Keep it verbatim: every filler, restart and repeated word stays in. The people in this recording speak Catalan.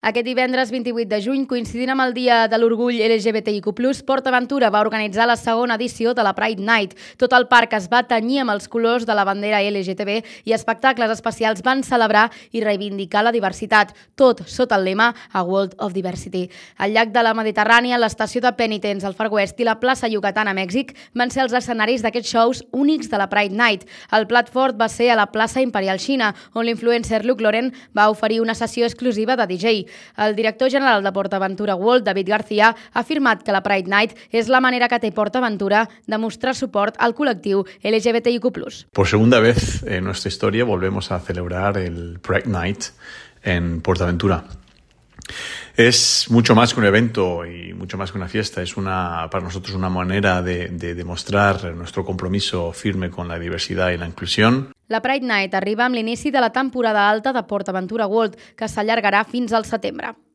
Aquest divendres vint-i-vuit de juny, coincidint amb el Dia de l'Orgull L G B T I Q plus, PortAventura va organitzar la segona edició de la Pride Night. Tot el parc es va tenyir amb els colors de la bandera L G T B i espectacles especials van celebrar i reivindicar la diversitat, tot sota el lema A World of Diversity. Al llac de la Mediterrània, l'estació de Penitents al Far West i la plaça Yucatán a Mèxic van ser els escenaris d'aquests shows únics de la Pride Night. El plat fort va ser a la plaça Imperial Xina, on l'influencer Luke Lauren va oferir una sessió exclusiva de D J. El director general de PortAventura World, David García, ha afirmat que la Pride Night és la manera que té PortAventura de mostrar suport al col·lectiu L G B T I Q plus. Por segunda vez en nuestra historia volvemos a celebrar el Pride Night en PortAventura. Es mucho más que un evento y mucho más que una fiesta. Es una, para nosotros una manera de, de demostrar nuestro compromiso firme con la diversidad y la inclusión. La Pride Night arriba amb l'inici de la temporada alta de PortAventura World, que s'allargarà fins al setembre.